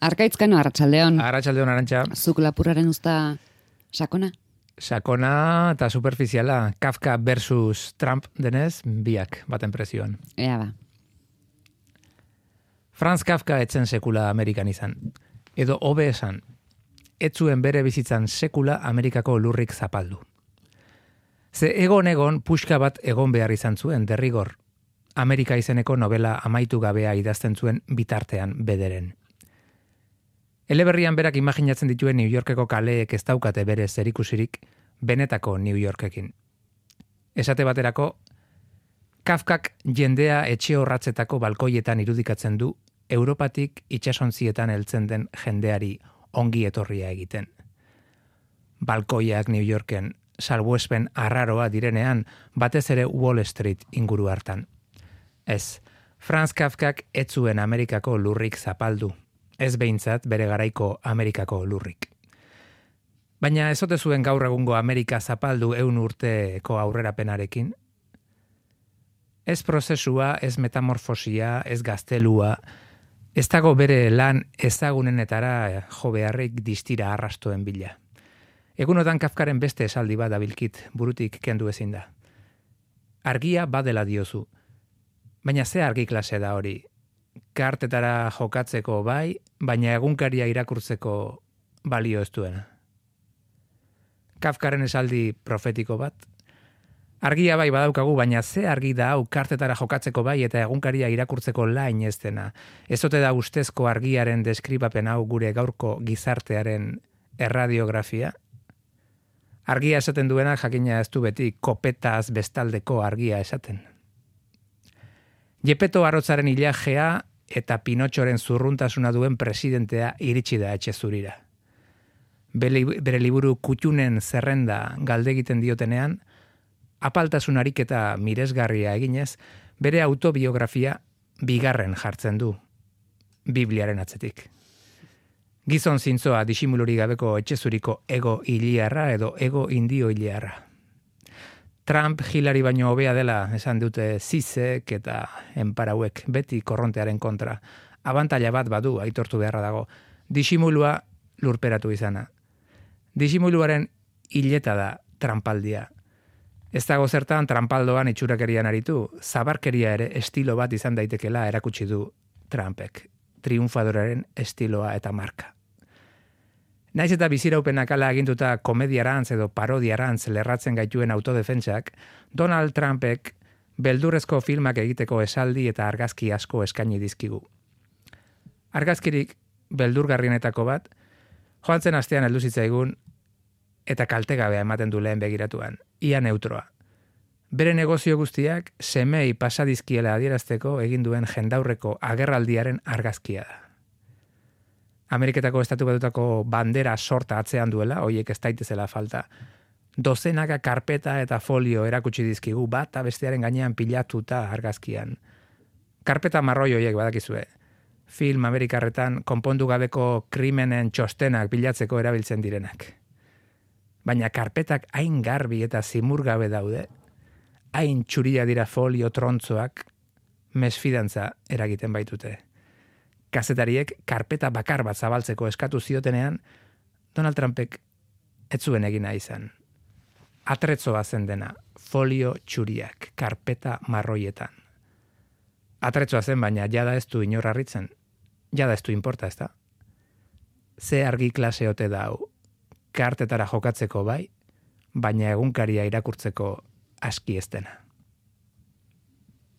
Arkaitzkano, arratsaldeon. Arratsaldeon, Arantxa. Zuk lapurraren usta sakona? Sakona eta superficiala, Kafka versus Trump denez, biak baten presioan. Ea ba. Franz Kafka etzen sekula Amerikan izan. Edo hobe esan, etzuen bere bizitzan sekula Amerikako lurrik zapaldu. Ze egon puxka bat egon behar izan zuen derrigor. Amerika izeneko novela amaitu gabea idazten zuen bitartean bederen. Eleberrian berak imaginatzen dituen New Yorkeko kaleek ez daukate bere zerikusirik benetako New Yorkekin. Esate baterako, Kafkak jendea etxe horratzetako balkoietan irudikatzen du Europatik itsasontzietan heltzen den jendeari ongi etorria egiten. Balkoiak New Yorken salbuespen arraroa direnean batez ere Wall Street inguru hartan. Ez, Franz Kafkak ez zuen Amerikako lurrik zapaldu. Ez behintzat bere garaiko Amerikako lurrik. Baina ez ote zuen gaur egungo Amerika zapaldu 100 urteko aurrerapenarekin? Ez prozesua, ez metamorfosia, ez gaztelua, ez dago bere lan ezagunenetara jo beharrik distira arrastoen bila. Egunotan Kafkaren beste esaldi bat dabilkit, burutik kendu ezin da. Argia badela diozu, baina ze argi klase da hori? Kartetara jokatzeko bai, baina egunkaria irakurtzeko balio ez duena. Kafkaren esaldi profetiko bat. Argia bai badaukagu, baina ze argi da hau kartetara jokatzeko bai eta egunkaria irakurtzeko lain ez dena. Ez ote da ustezko argiaren deskribapen hau gure gaurko gizartearen erradiografia? Argia esaten duena jakina ez du beti kopetaz bestaldeko argia esaten. Jepeto Arrotzaren ilajea eta Pinotxoren zurruntasuna duen presidentea iritsi da etxe zurira. Bere liburu Kuttunen zerrenda galdegiten diotenean, apaltasun ariketa miresgarria eginez, bere autobiografia bigarren jartzen du, Bibliaren atzetik. Gizon zintzoa disimuluri gabeko etxezuriko ego iliarra edo ego indio iliarra. Trump Hillary baino hobea dela esan dute Zizek eta enparauek beti korrontearen kontra. Abantaila bat badu aitortu beharra dago. Disimulua lurperatu izana. Disimuluaren hileta da trampaldia. Ez dago zertan trampaldoan itxurakerian aritu, zabarkeria ere estilo bat izan daitekela erakutsi du Trumpek. Triunfadoraren estiloa eta marka. Naiz eta biziraupenak ala aginduta komediarantz edo parodiarantz lerratzen gaituen autodefentsak, Donald Trumpek beldurrezko filmak egiteko esaldi eta argazki asko eskaini dizkigu. Argazkirik beldurgarrienetako bat, joan zen astean heldu zitzaigun eta kaltegabea ematen du lehen begiratuan, ia neutroa. Bere negozio guztiak semei pasadizkiela adierazteko egin duen jendaurreko agerraldiaren argazkia da. Ameriketako estatu batutako bandera sorta atzean duela, hoiek ez daitezela falta. Dozenaka karpeta eta folio erakutsi dizkigu bat bestearen gainean pilatuta argazkian. Karpeta marroi hoiek badakizue. Film amerikarretan konpondu gabeko krimenen txostenak bilatzeko erabiltzen direnak. Baina karpetak hain garbi eta zimurgabe daude, hain txuria dira folio trontzoak, mesfidantza eragiten baitute. Kazetariek karpeta bakar bat zabaltzeko eskatu ziotenean, Donald Trumpek ez zuen egina izan. Atretzoa zen dena, folio txuriak, karpeta marroietan. Atretzoa zen, baina jada ez du inor harritzen. Jada ez du inporta, ez da? Ze argi klase ote da hau, kartetara jokatzeko bai, baina egunkaria irakurtzeko aski ez dena.